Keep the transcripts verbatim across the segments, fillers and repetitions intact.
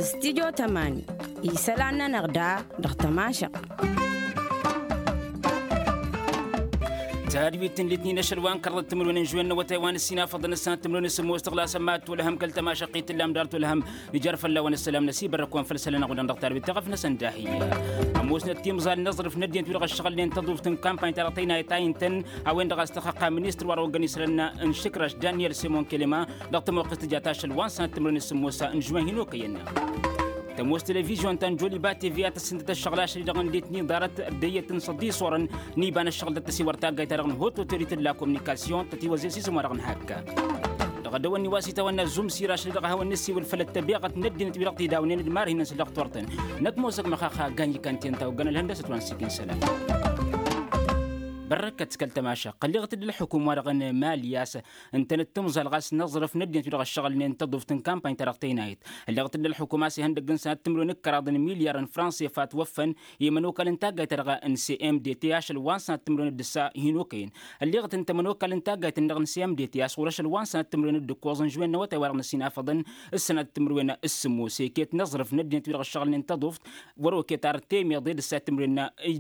Stidyo tămani isălan-nănăɣ da dăɣ-tămašăɣt. Tadwit n-litnin ašăl wa n-kărḍăt timǝrwen n-žwen n-awătay wa n-ǝssin afăḍăn ǝssanăt timǝrwen s-sǝmmos tăɣlasăn mad-tolăhăm kăl-tămašăɣt i-tǝllam dar tolăhăm. Ijar fălla-wen ăssălam n-asibărrăk wa n-făll-isălan-năɣ wa dăɣ-tărwit taɣăf-năsăn dahi. Ămoosnăt timẓal n-aẓrǝf n-ăddinăt wi-dăɣ ăššăɣǝlnen tăḍuft n-kampany-ta-dăɣ tăynayăt a intăn a-wen-dăɣ a-s tăxxăqqa ministăr wa dăɣ-oggăn isălan n-išǝkraš daniel simon kelema dăɣ-tămoqqest tǝjat ašăl wa n-sănat timǝrwen s-sǝmmos n-žwen hin-okăyăn. Tămoos televizyon ta n-joliba tv a tăssǝntăt ăššăɣǝl ašăl-i-dăɣ n-ditni ḍarăt ăddăyyăt n-săḍis orăn n-iba n-ăššăɣǝl d-ăttăsiwăr taggayt-ta-dăɣ n-hot otorite d-la communication tătiwăzzes isǝm wa dăɣ-nǝhakka. Dăɣ-ad-dăwănni wa s-itawănna zumsir ašăl-i-dăɣ a hawăn-nǝssiwǝl făll-ăttăbeɣăt n-ăddinăt wi-dăɣ tidawnen d-marhinăn-s dăɣ-turtăn. Nătmosăk măxaxa ganj ikan ti ǝnta ogăn ălhăndăsăt wa n-sikin sălam. Bărrăkăt kăl-tămašăɣt ălleɣăt-dd ălxukum-wa-dăɣ n-mali a-s ǝntănăt timẓal ɣas n-aẓrǝf n-ăddinăt wi-dăɣ ăššăɣǝlnen tăḍuft n-kampany-ta-dăɣ tăynayăt. Ălleɣăt-dd ălxukum a-s ihăndăgg n-sănat timǝrwen d-kăraḍ n-milyar n-franse fatwăffăn i-imănokalăn taggayt-ta-dăɣ n-cmdt ašăl wa n-sănat timǝrwen d-ǝssa hin-okăyăn. Ălleɣăt ǝnta imănokalăn taggayt-năɣ n-cmdt a-s ɣur-ašăl wa n-sănat timǝrwen d-ǝkkoẓ n-žwen n-awătay-wa-dăɣ n-ăsinafăḍăn s-sănat timǝrwen s-sǝmmos eket n-aẓrǝf n-ăddinăt wi-dăɣ ăššăɣǝlnen tăḍuft. Wăr-oket ar temeḍe d-ǝssa timǝrwen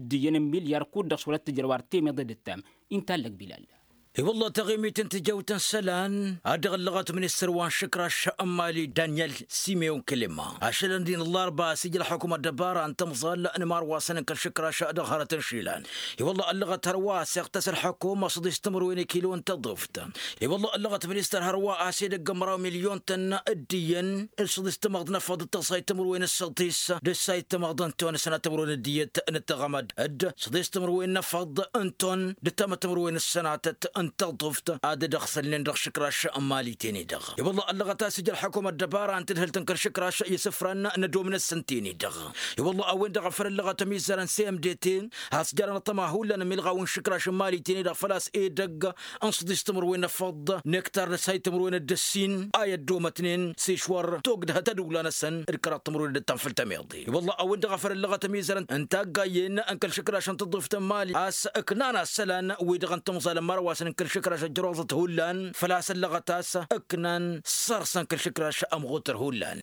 d-iyyăn n-milyar kud-dăɣ s-wăr-ăttǝjrăw ar temeḍe d-ǝttam. Intallăk bilal. I-wălla taɣimit n-tijawt n-isălan ad-dăɣ-ăllăɣăt ministăr wa n-išǝkraš n-mali daniel simeon kǝlǝma ašălăn din ăllarba a-s ija ălxukǝm ăddăbara n-tămẓal n-imarwasăn n-kăl-išǝkraš dăɣ-hărăt n-išilan. I-wălla ăllăɣăt hărwa a-s iɣtăs ălxukǝm ăṣṣăḍis timǝrwen ikilo n-tăḍuft. I-wălla ăllăɣăt ministăr hărwa a-s edăgg n-măraw milyon-tăn d-iyyăn ǝssăḍis timăḍt n-afăḍ d-tăẓẓayt timǝrwen ǝssăḍis d-ǝssayt timăḍt n-ton ǝssănat timǝrwen d-iyyăt n-ǝttăɣămăd d-ǝssăḍis timǝrwen n-afăḍ n-ton d-ǝttamăt timǝrwen ǝssănatăt n-tăḍuft ad-dd-ăɣsălnen dăɣ-išǝkraš n-mali-ten-i-dăɣ. I-wălla ăllăɣăt a-s ija ălxukǝm ăddăbara n-tadhǝlt n-kăl-išǝkraš i-isǝfran n-ădomǝn-năsăn-ten-i-dăɣ. I-wălla a-wen-dăɣ a făl ăllăɣăt ămizărăn cmdt a-s jărăn ăṭṭăma hullan ămilɣaw n-išǝkraš n-mali-ten-i-dăɣ făl-a-s edăgg n-săḍis timǝrwen n-afăḍ n-ektar d-ăsay timǝrwen d-ăssin a i-ăddomătnen s-išwăr togdăhăt ăduwla-năsăn d-kăraḍ timǝrwen d-ăttan făll-tămiḍe. I-wălla a-wen-dăɣ a făl ăllăɣăt ămizărăn n-taggayen n-kăl-išǝkraš n-tăḍuft n-mali a-s ǝknan asălan wi-dăɣ n-timẓal n-imărwasăn n-kăl-išǝkraš ăjjăroẓăt hullan făl-a-s ăllăɣăt a-s ǝknan săr-săn kăl-išǝkraš ămɣutăr hullan.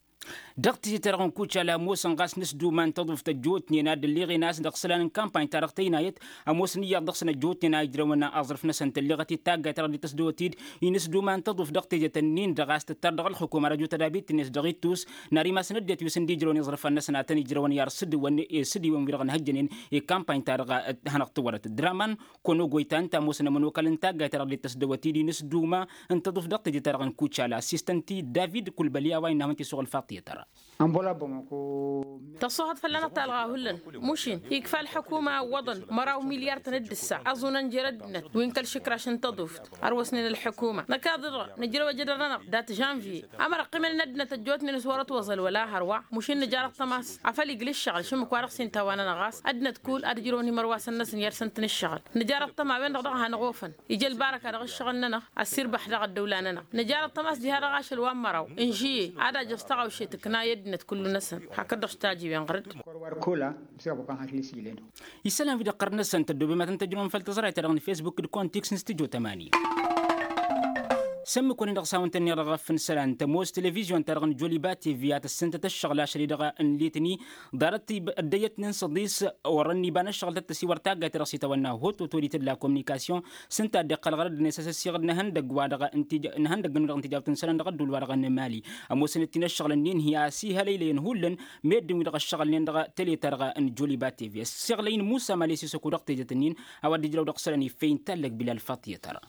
Dăɣ-tijǝt-ta-dăɣ n-kucala ămoosăn ɣas n-ǝsduma n-tăḍuft ăjjootnen ad-dd-ălleɣen a-s dăɣ-isălan n-kampany-ta-dăɣ tăynayăt ămoosăn iyyăḍ dăɣ-săn ăjjootnen a ijrăwăn aẓrǝf-năsăn tălleɣăt-dd taggayt-ta-dăɣ dd-tăsdăwăt-dd-i n-ǝsduma n-tăḍuft dăɣ-tejăt-ǝnnin-dăɣ a-s tǝttar dăɣ-ălxukum ar ăjut ădabit-net dăɣ-ittus n-ar imasăn ăddinăt wi s-ǝnda ijrăwăn iẓrǝfan-năsăn ad-tăn-ijrăwăn i-ar sǝdǝwăn i-sǝdǝwăn-wi-dăɣ n-hăjjănen i-kampany-ta-dăɣ hanăɣ-tǝwwărăt draman. Kănogăy ta ǝnta ămoosăn ămănokal n-taggayt-ta-dăɣ dd-tăsdăwăt-dd-i n-ǝsduma n-tăḍuft dăɣ-teje-ta-dăɣ n-kucala assistant-i david kulbăli a-wa innă a hawăn-t-isuɣǝl faṭiyăt ara. Tăṣṣuhăḍ fălla-năɣ talɣa hullan mušin ikfa ălḥukuma iwwăḍăn măraw milyar-tăn d-ǝssa ăẓunăn jer-ăddinăt wi n-kăl-išǝkraš n-tăḍuft. Ărwăsnen ălḥukuma năkaḍ-dăɣ nǝjrăw ajădăr-nănăɣ dat-žănvye. Ămăra ăqqimăn n-ăddinăt ăjjootnen s-wăr-ătwăẓăl wăla hărwa mušin nǝjar ăṭṭăma-s afăl igl' ǝššăɣǝl šǝmmǝk-wa-dăɣ s-inta a-wa-nănăɣ ɣas ăddinăt kull ad-ǝjrăwăn imărwasăn-năsăn i-ad-săn-tăn-ǝššăɣǝl. Nǝjar ăṭṭăma a-wen-dăɣ daɣ a hanăɣ-ofăn ija ălbarăka dăɣ-ǝššăɣǝl-nănăɣ ăssirbăḥ dăɣ-ăddăwla-nănăɣ. Nǝjar ăṭṭăma a-s diha-dăɣ ašăl wa n-măraw n-žǝyye ad-ajăẓ taɣawše tǝkna i-ăddinăt kullu-năsăn hakd-dăɣ s-tajǝwen ɣăr-dd. Kăla msăɣ băkan hakli s-ijlen. Isălan wi-dăɣ ɣărăn-năsăn tăddoobem ad-tăn-tăjrăwăm făll-tăẓrayt-ta-dăɣ n-fesbuk d-kontiks n-stujo tămani. S-ǝmmǝk-wăn-dăɣ s-hawăn-tăn-niɣ dăɣ-ăffǝn isălan tămoos televizyon-ta-dăɣ n-joliba tv a tăssǝntăt ăššăɣǝl ašăl-i-dăɣ n-litni ḍarăt ăddăyăt n-insăḍis orăn iba n-ăššăɣǝl tăt-tăsiwăr taggayt-ta-dăɣ s-itawănna hot otorite d-la communication. S-ǝnta a dd-iqqăl ɣărăd-net a-s ăssiɣǝd n-ehăndăgg-wa-dăɣ n-ehăndăgg-wi-dăɣ n-tijawt n-isălan dăɣ-ădduul-wa-dăɣ n-mali. Ămoosăn-t-in ăššăɣǝl-nin hi-a-s ihălăylăyăn hullan meddǝn-wi-dăɣ ăššăɣǝlnen dăɣ-tele-ta-dăɣ n-joliba tv ăssiɣlăy n-musa mali s-isăku dăɣ-tejăt-nin. A-wa dd-ijrăw dăɣ-isălan iffey n-tallăg bilal faṭiyăt ara.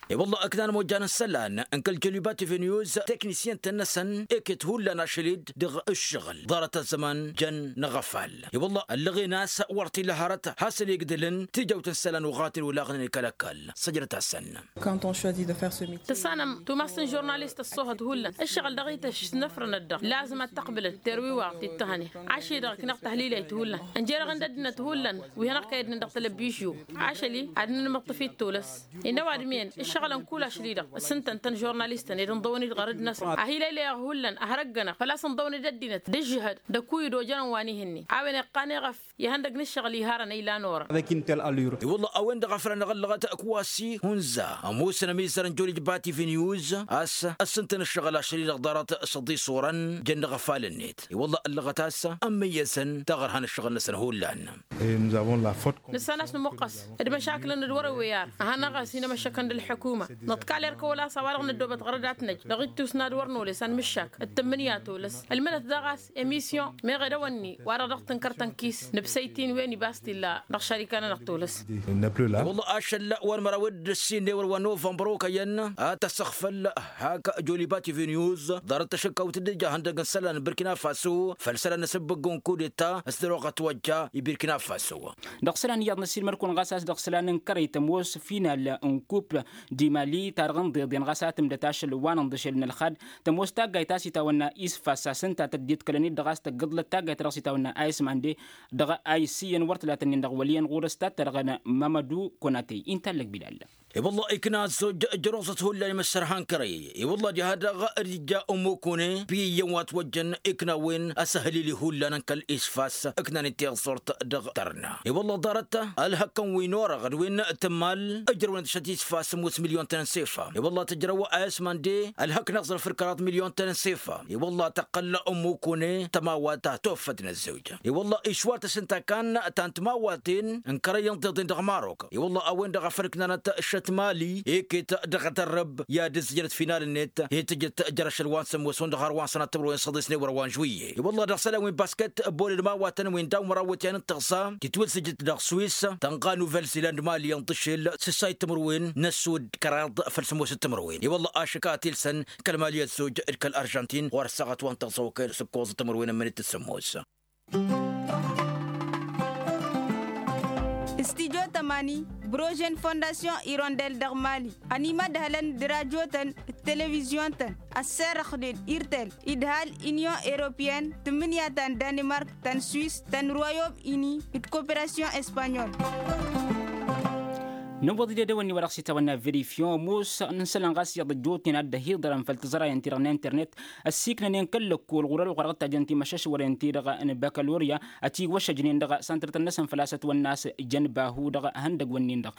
I-wălla ǝknan mojjan n-isălan n-kăl-joliba tv news teknisyen-tăn-năsăn iket hullan ašăl-dd dăɣ-ǝššăɣǝl ḍarăt ăzzăman jăn n-aɣăfal. I-wălla ăllăɣen a-s wăr t-illa hărăt hasăn-igdǝlăn tijawt n-isălan uɣaten olaɣnen i-kăl-ăkall săjdăt-asăn. Tǝssanăm tumast n-žurnalist ăṣṣoohăt hullan ǝššăɣǝl dăɣ-ităš s-năfrănăt-dăɣ lazǝm ad-t-ăqbǝlăn terwiwaɣ t-dd-tăhăne. Ašăl-i-dăɣ ǝknăɣ tăhlilăyt hullan ǝnjărăɣ-in d-ăddinăt hullan wi hanăɣ-kăy-ăddinăn dăɣ-telăbbižyu. Ašăl-i ad-nǝnmǝṭṭǝf-dd tulăs. Innă ăwadǝm-en. Ăɣlăn kull ašli-dăɣ s-ǝntăn tăn-žurnalistăn ed ǝnḍăwăn-dd ɣărăd-năsăn a hi-lăylăyăɣ hullan a hărăggănăɣ făl-a-s ǝnḍăwăn-dd ăddinăt d-ǝžžǝhăd d-ăkuy d-ojănăn wa n-ihǝnnin a-wen iqqan eɣăf ihăndăg n-ǝššăɣǝl iharăn a ilan orăn. I-wălla a-wen-dăɣ a făl anăɣ-ăllăɣăt kăwasi hunza ămoosăn ămizăr n-jolij bati viniyuz a-s ăssǝntăn ǝššăɣǝl ašăl-i-dăɣ ḍarăt s-ăḍisurăn jăn dăɣ-afal-net. I-wălla ăllăɣăt a-s ămmăyyăsăn taɣărha n-ǝššăɣǝl-năsăn hullan. Nǝssan a-s nǝmuqqăs d-măšakǝlăn d-wăr-ăwweyar a hanăɣ-ăsinămăššăkăn d-ălḥukuma. Nǝḍkal erk wăla a-s a-wa-dăɣ năddoobăt ɣărăd a t-năj dăɣ-ittus n-ad-wăr nolăs anmǝššak d-tǝmmǝnǝya tolăs. Ǝlmǝnăt daɣ a-s emisyon meɣ edăwănni wa-dăɣ dăɣ-tǝnkăr tănkis nǝbsăy-t-in wen ibas t-illa dăɣ-šarika-nănăɣ tolăs. Wălla ašăl wa n-măraw d-ǝssin n-ewăr wa n-novămbăr okăyăn ad-t-ăssăɣfăl hak jolibat iviniyuz ḍarăt tašăkkawt d-ija ihăndăg n-isălan n-birkina faso făll-isălan n-asǝbbǝgg n-kudeta s-dăr-oɣăt wa ija i-birkina faso. Dăɣ-isălan iyyăḍ n-ăssiilmăd-kăwăn ɣas a-s dăɣ-isălan n-kărăy tămoos final n-kup dimali ta dăɣ-inḍeḍen ɣas a tǝmdăt ašăl wa n-inḍǝšel n-ălxad. Tămoos taggayt a-s itawănna isfas a-s ǝnta tăddit kălăn-dd dăɣ-a-s tăggǝḍlăt taggayt dăɣ-s itawănna a ismande dăɣ-a isǝyyăn wăr tǝlatăn-in dăɣ-wăl' iyyăn ɣur-s tattărăɣăn mamădu konatey inta allăg bilal. I-wălla ikna ăzzoj ǝjrăwẓăt hullan imǝssărha n-kărăy. I-wălla diha-dăɣ d-ija ămmukune pi-iyyăn wa t-wăjjăn ikna a-wen asăhlili hullan n-kăl-isfas ǝknan-in tiẓẓurt dăɣ-tărna. I-wălla ḍarăt ălhăkkăn wi n-orăɣ d-wi n-tǝmmal ǝjrăwăn-dd šăt isfas ămoos milyon tăn-ănsefa. I-wălla tǝjrăw a ismande ălhăkk n-aẓrǝf d-kăraḍ milyon tăn-ănsefa. I-wălla tăqqăl ămmukune tămawat ta toffăt n-ăzzoj. I-wălla išwar-t s-ǝnta kan ta n-timawaten n-kărăy n-tiḍen dăɣ-marok. I-wălla a-wen-dăɣ a făl ǝknanăt šăt mali iket dăɣ-tărrăb i-ad-ǝzzǝjnăt final-net hi-tǝjǝt jer-ašăl wa n-sămoos hundăɣ har wa n-sănat timǝrwen săḍis n-ewăr wa n-žuiye. I-wălla dăɣ-isălan wi n-basket boll d-imawatăn wi n-daw-măraw wătyan n-tăɣsa titwǝzzǝjǝt dăɣ-swis tănɣa n-uvel-ziland mali ǝnḍǝšel s-ǝssay timǝrwen n-ăssud d-kăraḍ făll-sămoos d-timǝrwen. I-wălla ašăk a t-ilsăn kăl-mali ăzzoj d-kăl-arjantin ɣur-ăssaɣăt wa n-tăɣsa okăyăn s-ǝkkoẓ timǝrwen n-imǝnit d-sămoos. Studyo tămani, brožen fondasyon irondel dăɣ-mali ănimădhălăn d-rajotăn d-televizyon-tăn ăsserăxnen irtel idhal inyon europyen tǝmmǝnǝya ta n-danimark ta n-swis ta n-royom ini d-koperasyon espanyol. Nǝwwăḍ-dd edăwănni wa dăɣ-s itawănna verifyon ămoos n-isălan ɣas iyyăḍ ăjjootnen ad-dd-ăhiḍărăn făll-tiẓrayăn-ti-dăɣ n-internet ăssiiknănen kăl-lăkkol ɣur-ălɣur a dăɣ-tajăn timăšašwăren-ti-dăɣ n-bakaloria ătiwăšăjnen dăɣ-santărtăn-năsăn făl-a-s ătwănna a-s jăn bahu dăɣ-ihăndăgg-wǝnnin-dăɣ.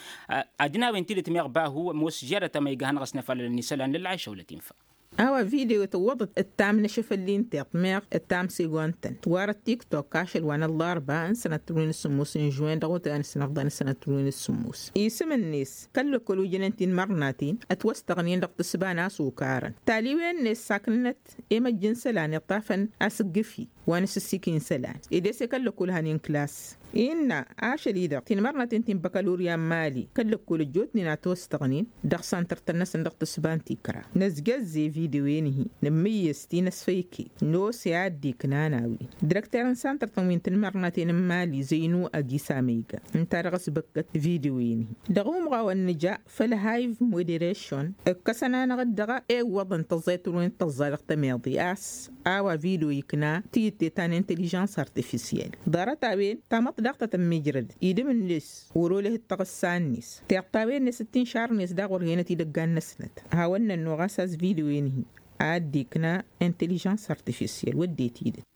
Ad-jinawen tidǝt meɣ bahu ămoos žadăt amăyga hanăɣ-ăsnăfalălăn isălan lălɣayšăw lătinfa. A-wa video tǝwwăḍăt ǝttam n-ašăfăl n-tiṭ meɣ ǝttam segontăn tiwarăt tiktok ašăl wa n-ăllarba n-sănăt turwen s-sǝmmos n-žuwen dăɣ-otăyăn s-năfḍan n-sănăt turwen s-sǝmmos isǝm-net kăl-lăkkol ujănen tinmărnaten ătwăstăɣnen dăɣ-tǝsba n-asukarăn taliwen-net saknănăt i-măjj n-isălan iṭṭafăn asǝggǝfi wa n-asǝssiki n-isălan ed ese kăl-lăkkol hanen klas. Innă ašăl-i-dăɣ tinmărnaten ti n-băkălurya n-mali kăl-lăkkol ăjjootnen a ătwăstăɣnen dăɣ-santăr-tăn-năsăn dăɣ-tǝsba n-tikra năzjăzze video-en-hi nǝmmǝyyăs ti n-ăsfăyke n-ose a dd-iknan a-wen direkter n-santăr-tăn wi n-tinmărnaten n-mali zăynu ăgis amăyga ǝnta-dăɣ ăsbăkkăt video-en-hi. Dăɣ-umɣawăn nǝja făll-hive moderation ǝkkăsăn-anăɣ-dd dăɣ-ewwăḍăn tăẓẓayt-wen d-tăẓẓa dăɣ-tămeḍe a-s a-wa video ikna tiyǝtte ta n-intelijans artifisyel ḍarăt a-wen tamăḍt daɣ ta tămmijrăd idǝm-net wăr-olăh d-taɣǝssa-net tiṭṭawen-net d-tinšar-net daɣ wăr henăt idăggan-năsnăt. Hawăn-nănnuɣ a-s a-s video-en-hi a dd-ikna intelijans artifisyel wădden tidǝt.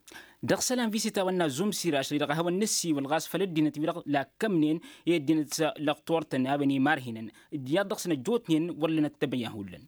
Dăɣ-isălan wi s-itawănna zumsir ašăl-i-dăɣ a hawăn-nǝssiwǝl ɣas făll-ăddinăt-wi-dăɣ lakkămnen i-ăddinăt lăqtor-tăn a-wen imarhinăn d-iyyăḍ dăɣ-săn ăjjootnen wăr lănăt tebăyya hullan.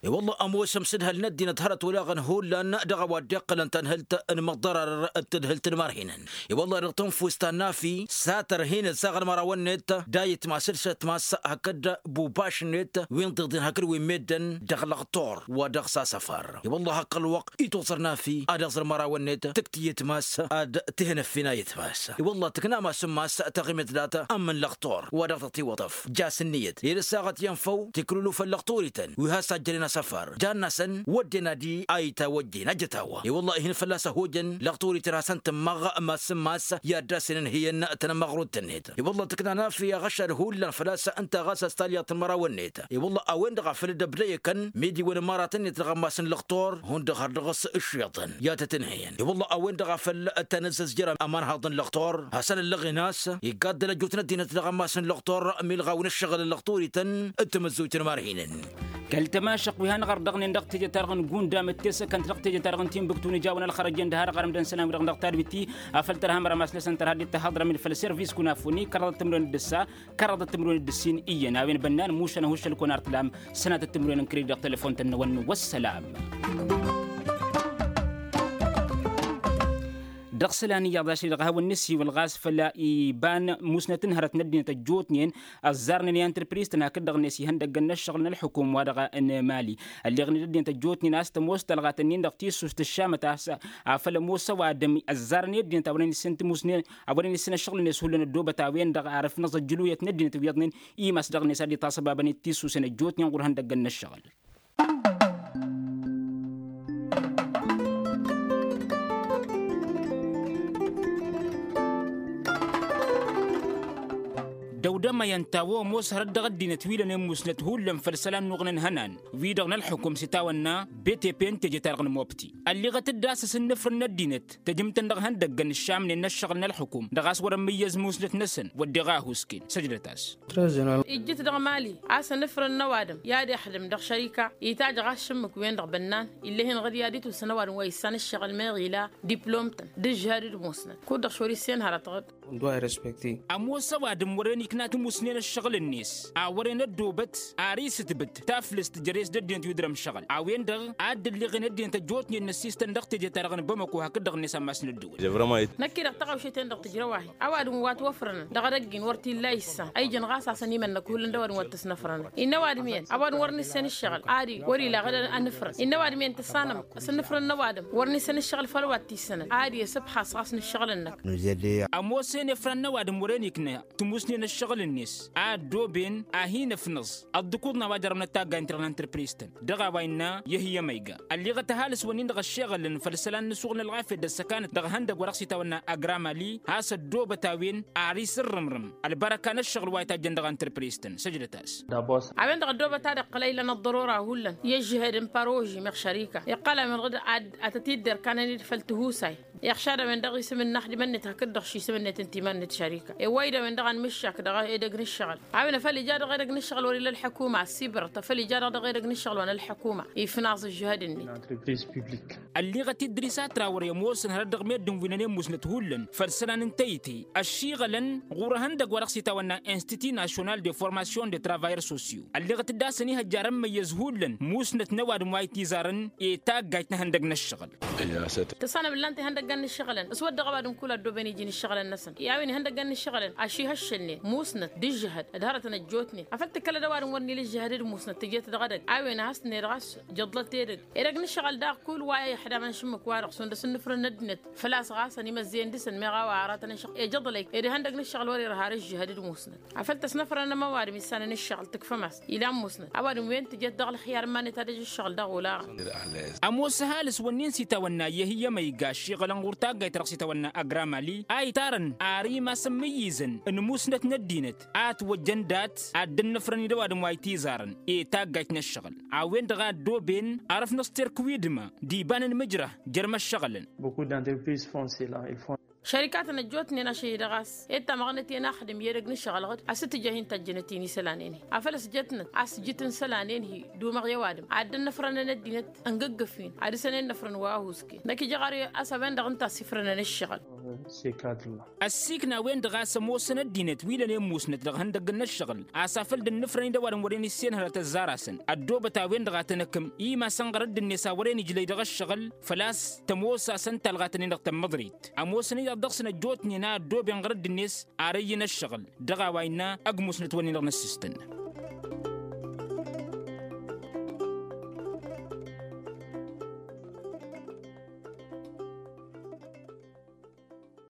I-wălla ămoos ămsǝdhăl n-ăddinăt hărăt olaɣăn hullan dăɣ-a-wa dd-iqqălăn tanhǝlt n-imăḍḍărăr d-tadhǝlt n-imarhinăn. I-wălla dăɣ-tănfust ta n-nafi s-ad-tărhinăt saɣ n-imărawăn-net d-ayǝtmas d-išătmas hakd bubaš-net wi n-tiḍen hakd wi n-meddǝn dăɣ-lăqtor wa dăɣ-s asăfar. I-wălla hakk ălwăqq itoẓăr nafi ad-iẓăr imărawăn-net tǝkt i-ayǝtmas ad-tǝhǝnăffin ayǝtmas. I-wălla tǝkna masǝmmas taɣimet dat-ămmǝn lăqtor wa dăɣ-tătiwăḍăf jas ǝnniyăt i-ad-ăssaɣăt i-ănfăw tiklulufăn lăqtor-ităn wi has-ajjănen. săfar jan-asăn wădden ad-i a itawăjjen ajăt a-wa i-wălla ihǝn fălla-s ăhojăn lăɣturităn hasăn-tǝmmăɣ. Mass n-mass i-ad-dd-asǝnǝnhǝyăn tănămăɣrut-net i-wălla tǝkna n-afǝy aɣăšad hullan făl-a-s ǝnta ɣas a-s talyaḍt n-imărawăn-net i-wălla a-wen-dăɣ a făl dd-ăbdăyăkăn midi-wăn imăratăn-net dăɣ-ammas n-lăɣtor hundăɣ har dăɣ-s ǝššeḍăn i-ad-tăt-ǝnhǝyăn i-wălla a-wen-dăɣ a făl tănăzzăz jer-amanhaḍ n-lăɣtor hasăn-ăllăɣen a-s iggaddăl ăjjootnen ăddinăt dăɣ-ammas n-lăɣtor milɣaw n-ǝššăɣǝl n-lăɣturităn d-tamǝzzuyt n-imarhinen. Kăl-tămašăq wi hanăɣ-ărdăɣnen dăɣ-teje-ta-dăɣ n-gundam d-tesăkănt dăɣ-teje-ta-dăɣ n-tinbǝktu n-ijawăn ălxărăjen d-ha-dăɣ arămdăn isălan-wi-dăɣ dăɣ-tadwit-i afăl tărha măramas n-esăn tărha dd-tahăḍrăm-in făll-servis kunafoni kăraḍăt timǝrwen d-ǝssa kăraḍăt timǝrwen d-ǝssin iyyăn a-wen bănnan mušan ăhuššăl-kăwăn ar tǝlam sănatăt timǝrwen n-kredit dăɣ-telefon-tăn-năwăn. Wăssălam. Dăɣ-isălan iyyăḍ ašăl-i-dăɣ a hawăn-nǝsiwǝl ɣas făll-iba n-musnăt n-hărăt n-ăddinăt ăjjootnen ăzzarnen i-antrǝpriz-tăn hakd-dăɣ-net ihăndăggăn n-ăššăɣǝl n-ălxukum wa dăɣ-nǝmali ălleɣnen ăddinăt ăjjootnen a-s tămoos talɣat-nin-dăɣ tissust ǝššamăt a-s afăl ămoos ăwadǝm ăzzarăn i-ăddinăt a wăren issin timusnen a wăren issin ăššăɣǝl-net hullan ăddoobăt a-wen-dăɣ arǝfnăẓ ăjjǝluyăt n-ăddinăt wi iyyăḍnen imas dăɣ-net ad-itasăbabăn i-tissust n-ăjjootnen ɣur-ihăndăggăn n-ăššăɣǝl. Dăw-dămăyăn ta-wa ămoos hărăt dăɣ-ăddinăt wi lănen musnăt hullan făll-isălan n-uɣǝnăn ihănan wi-dăɣ n-ălxukum s-itawănna btp n-teje-ta-dăɣ n-mobti ălliɣăt-dd a-s asǝnnǝfrǝn n-ăddinăt tăjǝmtăn dăɣ-ihăndăggăn ǝššamnen n-ăššăɣǝl n-ălxukum dăɣ-a-s wăr-ămmǝyyăz musnăt-năsăn wădden ăhusken săjdăt-as. Ijjǝt dăɣ-mali a-s ănǝfrăn n-ăwadǝm i-ad-ixdǝm dăɣ-šărika itajj ɣas šǝmmǝk-wen-dăɣ bănnan ill'-e-hin ɣǝd i-ad-itwǝsăn ăwadǝm wa issan ǝššăɣǝl meɣ ila diplom-tăn d-ǝžžăhăd d-musnăt kud-dăɣ šor issen hărăt ɣǝd. Ămoos ăwadǝm wăren ikna timusnen ăššăɣǝl-net a wăren ăddoobăt ar isǝtbǝt taflǝst jer-e-s d-ăddinăt wi dăr-ămšăɣǝl a-wen-dăɣ a dd-ǝlleɣen ăddinăt ăjjootnen n-ăssistăn dăɣ-teje-ta-dăɣ n-bămăko hakd-dăɣ-net ammas n-ăddăwăl. Năkk-i-dăɣ tăɣawšet-en-dăɣ tǝjrăw-ahi ăwadǝm wa ătwăfrănăn dăɣ-edăgg-in wăr t-illa issan a ijăn ɣas a-s ănimănnăk hullan d-ăwadǝm wa t-ăsnăfrănăn. Innă ăwadǝm iyyăn ăwadǝm wăr nǝssan ǝššăɣǝl ad-i wăr-ila ɣǝd ănǝfrăn innă ăwadǝm iyyăn tǝssanăm s-ǝnnǝfrăn n-ăwadǝm wăr nǝssan ǝššăɣǝl făll-wa t-issănăn ad-i ăsǝbxas ɣas n-ǝššăɣǝl-năk. Ămoos-en efran n-ăwadǝm wăren ikna timusnen ǝššăɣǝl-net a ăddooben a hin-ăfnăẓ ăḍḍǝkuḍ n-a-wa jărrăwnăt taggayt-năɣ n-antrǝpriztăn dăɣ-a-wa innă yăhǝyăm a iga ălliɣăt ăhalǝs-wǝnnin-dăɣ ăššeɣălăn făll-isălan n-asuɣǝl n-ălɣafyăt d-ăssăkanăt dăɣ-ihăndăgg wa dăɣ-s itawănna ăgramali has-ăddoobăt a-wen ar isǝrrǝmrǝm ălbărăka n-ăššăɣǝl wa itajjăn dăɣ-antrǝpriztăn săjdăt-as. A-wen-dăɣ ăddoobăt ad-iqqăl a ilăn ăḍḍărora hullan i-ăžžăhed n-paroži meɣ šărika iqqăl a-wen ɣǝd ad-tăt-idder kanăn-dd făll-tihusay iɣšad a-wen-dăɣ isǝm n-inaxdimăn-net hakd-dăɣ šisǝm-net n-timan-net šărika ewwăy-dd a-wen-dăɣ anmǝššak dăɣ-edăgg n-ǝššăɣǝl a-wen afăl ija dăɣ-edăgg n-ǝššăɣǝl wăr-ila ălḥukuma ăssibărăt afăl ija-dăɣ dăɣ-edăgg n-ǝššăɣǝl wa n-ălḥukuma ifnaẓ ǝžžăhăd-net. Ălliɣăt idris atra wăr-e ămoosăn hărăt dăɣ-meddǝn wi nănăy musnăt hullan făll-isălan n-tăyte ăššiɣălăn ɣur-ehăndăgg wa dăɣ-s itawănna institut national de formation de travailleurs sociaux ălliɣăt-dd a-s ănihăjja ar ămmăyyăz hullan musnăt n-ăwadǝm wa itizarăn i-taggajt n-ehăndăgg n-ǝššăɣǝl. Tăssanăm ǝllan-t ihăndăggan n-ǝššăɣǝlăn s-wădden ăwadǝm kull ăddooben iji n-ǝššăɣǝlăn-năsăn i-a-wen ihăndăggan n-ǝššăɣǝlăn ašihăššălnen musnăt d-ǝžžăhăd d-hărătăn ăjjootnen afăl tǝkkălăd ăwadǝm wăr n-ila ǝžžăhăd d-musnăt tǝjet dăɣ-edăgg a-wen a has-tǝnned ɣas jăḍlăt edăgg edăgg n-ǝššăɣǝl daɣ kull wa i-ăḥdamăn šǝmmǝk-wa-dăɣ šund ăsǝnnǝfrǝn n-ăddinăt făl-a-s ɣas ănimăzzeyăn dăɣ-săn meɣ a-wa aratăn ăššăɣǝl ejăḍlăy ed ihăndăgg n-ǝššăɣǝl wăr-irha ar ǝžžăhăd d-musnăt afăl tăsnăfrănăm ăwadǝm issanăn ǝššăɣǝl tǝkfăm-as ilan musnăt ăwadǝm wen tǝjet dăɣ-ălxiyar n-iman-net ad-ăj ǝššăɣǝl dăɣ-olaɣăn. Ămoos ăhalǝs-wǝnnin s-itawănna i-ehǝyyăm a iga ăššiɣălăn ɣur-taggayt ta dăɣ-s itawănna ăgramali a itarăn ar imasăn imǝyyǝzăn n-musnăt n-ăddinăt a ătwăjjăn dat ad-dd-ănnăfrăn-dd ăwadǝm wa itizarăn i-taggayt n-ǝššăɣǝl a-wen-dăɣ a ăddooben arăfnăẓ terk wi dăma d-iba n-inmǝjrăh jer-imăššăɣǝlăn. Šărikatăn ăjjootnen ašăl-i-dăɣ a-s ed tamăɣnet i-ănaxdǝm i-edăgg n-ǝššăɣǝl ɣǝd a-s t-tǝjjăh-in tăjjănăt-in isălan-en-hi afăl ăsjătnăt a-s jǝt n-isălan-en-hi d-umăɣ i-ăwadǝm ad-dd-ănnăfrănăn ăddinăt ǝngǝggǝf-in ad-dăr-săn ennăfrăn wa ăhuusken năkk ija ɣur-e a-s a-wen-dăɣ ǝnta a ăsifrănăn ǝššăɣǝl. Ăssiikna a-wen-dăɣ a-s ămoosăn ăddinăt wi lănen musnăt dăɣ-ihăndăgg n-ǝššăɣǝl a-s afăl dd-ǝnnǝfrăn-in d-ăwadǝm wărăn issen hărăt ăzzar-asăn ăddoobăt a-wen-dăɣ a tăn-ăkkăm imasăn ɣărădd-net a wărăn ijlăy dăɣ-ǝššăɣǝl făl-a-s tămoos-asăn talɣat-nin-dăɣ tămmăḍrit ămoosăn iyyăḍ dăɣ-săn ăjjootnen a ăddooben ɣărădd-net ar ăyy n-ǝššăɣǝl dăɣ-a-wa innă ăgg musnăt-wǝnnin-dăɣ n-ǝssǝstăn.